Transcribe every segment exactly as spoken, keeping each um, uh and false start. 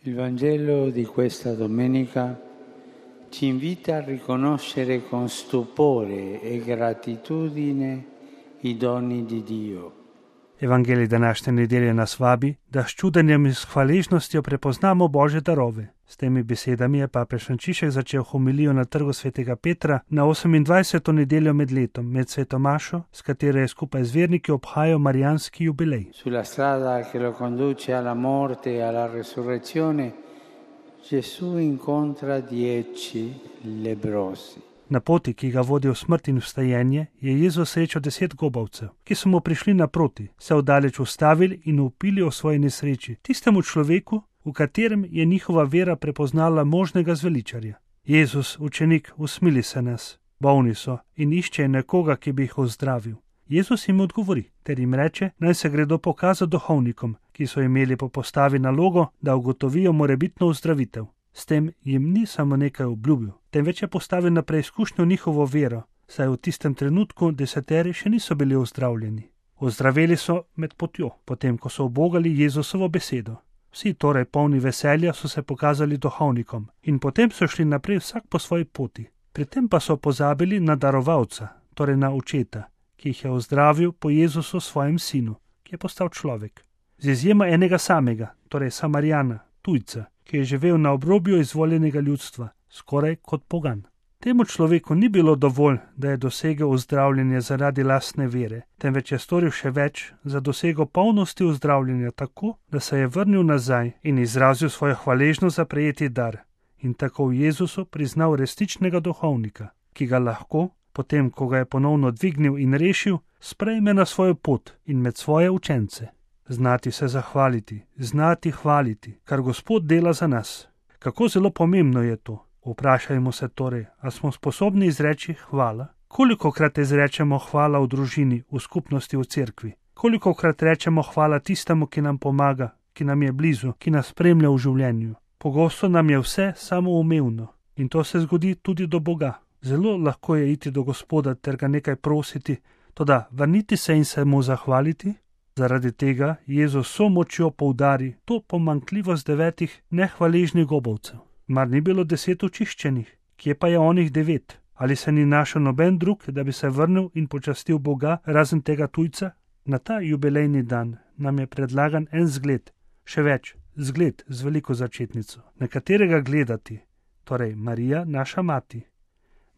Il Vangelo di questa domenica ci invita a riconoscere con stupore e gratitudine i doni di Dio. Evangelij današnje nedelje nas vabi, da s čudenjem in s hvaležnostjo prepoznamo Božje darove. S temi besedami je papež Frančišek začel homilijo na trgu svetega Petra na osemindvajseto nedeljo med letom, med sveto mašo, s katero je skupaj z verniki obhajal marijanski jubilej. Sulla strada che lo conduce alla morte e alla resurrezione, Gesù incontra dieci leprosi. Na poti, ki ga vodi v smrt in vstajenje, je Jezus srečal deset gobavcev, ki so mu prišli naproti, se oddaleč ustavili in vpili o svoji nesreči, tistemu človeku, v katerem je njihova vera prepoznala možnega zveličarja. Jezus, učenik, usmili se nas, bolni so in iščejo nekoga, ki bi jih ozdravil. Jezus jim odgovori, ter jim reče, naj se gredo pokazati duhovnikom, ki so imeli po postavi nalogo, da ugotovijo morebitno ozdravitev. S tem jim ni samo nekaj obljubil, temveč je postavil na preizkušnjo njihovo vero, saj v tistem trenutku deseteri še niso bili ozdravljeni. Ozdraveli so med potjo, potem ko so ubogali Jezusovo besedo. Vsi torej polni veselja so se pokazali duhovnikom in potem so šli naprej vsak po svoji poti. Pri tem pa so pozabili na darovalca, torej na očeta, ki jih je ozdravil po Jezusu svojem sinu, ki je postal človek. Z izjemo enega samega, torej Samarijana, tujca, ki je živel na obrobju izvoljenega ljudstva, skoraj kot pogan. Temu človeku ni bilo dovolj, da je dosegel ozdravljenje zaradi lastne vere, temveč je storil še več za dosego polnosti ozdravljenja tako, da se je vrnil nazaj in izrazil svojo hvaležnost za prejeti dar in tako v Jezusu priznal resničnega duhovnika, ki ga lahko, potem ko ga je ponovno dvignil in rešil, sprejme na svojo pot in med svoje učence. Znati se zahvaliti, znati hvaliti, kar Gospod dela za nas. Kako zelo pomembno je to? Vprašajmo se torej, a smo sposobni izreči hvala? Kolikokrat izrečemo hvala v družini, v skupnosti, v cerkvi? Kolikokrat rečemo hvala tistemu, ki nam pomaga, ki nam je blizu, ki nas spremlja v življenju? Pogosto nam je vse samoumevno in to se zgodi tudi do Boga. Zelo lahko je iti do Gospoda ter ga nekaj prositi, toda vrniti se in se mu zahvaliti? Zaradi tega Jezus so močjo poudari to pomanjkljivost devetih nehvaležnih gobavcev. Mar ni bilo deset očiščenih? Kje pa je onih devet? Ali se ni našel noben drug, da bi se vrnil in počastil Boga razen tega tujca? Na ta jubilejni dan nam je predlagan en zgled, še več, zgled z veliko začetnico, na katerega gledati, torej Marija, naša mati.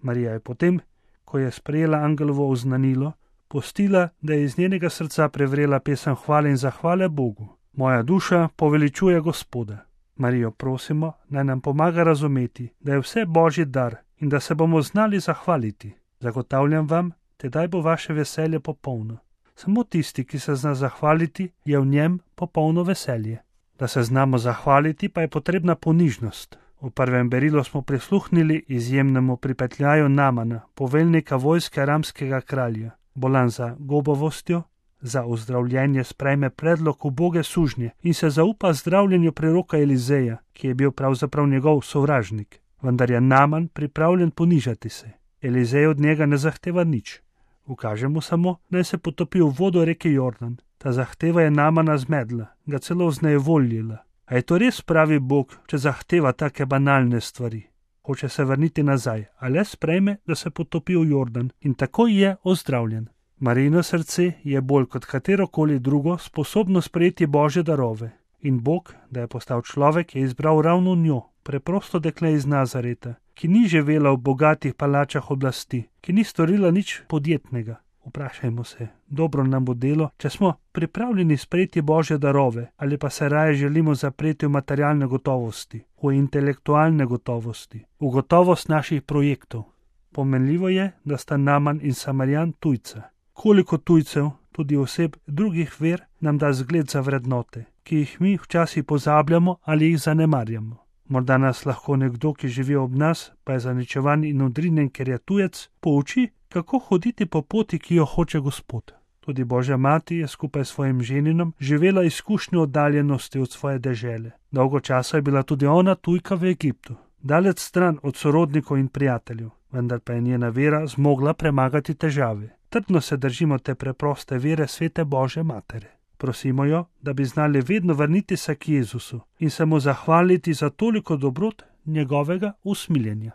Marija je potem, ko je sprejela angelovo oznanilo, pustila, da je iz njenega srca prevrela pesem hvale in zahvale Bogu. Moja duša poveličuje Gospoda. Marijo prosimo, naj nam pomaga razumeti, da je vse Božji dar in da se bomo znali zahvaliti. Zagotavljam vam, tedaj bo vaše veselje popolno. Samo tisti, ki se zna zahvaliti, je v njem popolno veselje. Da se znamo zahvaliti, pa je potrebna ponižnost. V prvem berilu smo prisluhnili izjemnemu pripetljaju Namana, poveljnika vojske aramskega kralja. Bolan za gobavostjo, za ozdravljenje sprejme predlog uboge sužnje in se zaupa zdravljenju preroka Elizeja, ki je bil pravzaprav njegov sovražnik. Vendar je Naman pripravljen ponižati se. Elizej od njega ne zahteva nič. Ukaže mu samo, naj se potopi v vodo reke Jordan. Ta zahteva je Namana zmedla, ga celo vznejevoljila. A je to res pravi Bog, če zahteva take banalne stvari? Hoče se vrniti nazaj, a le sprejme, da se potopi v Jordan in tako je ozdravljen. Marijino srce je bolj kot katerokoli drugo sposobno sprejeti Božje darove. In Bog, da je postal človek, je izbral ravno njo, preprosto dekle iz Nazareta, ki ni živela v bogatih palačah oblasti, ki ni storila nič podjetnega. Vprašajmo se, dobro nam bo delo, če smo pripravljeni sprejeti Božje darove ali pa se raje želimo zapreti v materialne gotovosti, v intelektualne gotovosti, v gotovost naših projektov. Pomenljivo je, da sta Naman in Samarijan tujca. Koliko tujcev, tudi oseb drugih ver, nam da zgled za vrednote, ki jih mi včasih pozabljamo ali jih zanemarjamo. Morda nas lahko nekdo, ki živi ob nas, pa je zaničevan in odrinjen, ker je tujec, pouči, kako hoditi po poti, ki jo hoče Gospod. Tudi Božja mati je skupaj s svojim ženinom živela izkušnjo oddaljenosti od svoje dežele. Dolgo časa je bila tudi ona tujka v Egiptu, daleč stran od sorodnikov in prijateljev, vendar pa je njena vera zmogla premagati težave. Trdno se držimo te preproste vere svete Božje matere. Prosimo jo, da bi znali vedno vrniti se k Jezusu in se mu zahvaliti za toliko dobrot njegovega usmiljenja.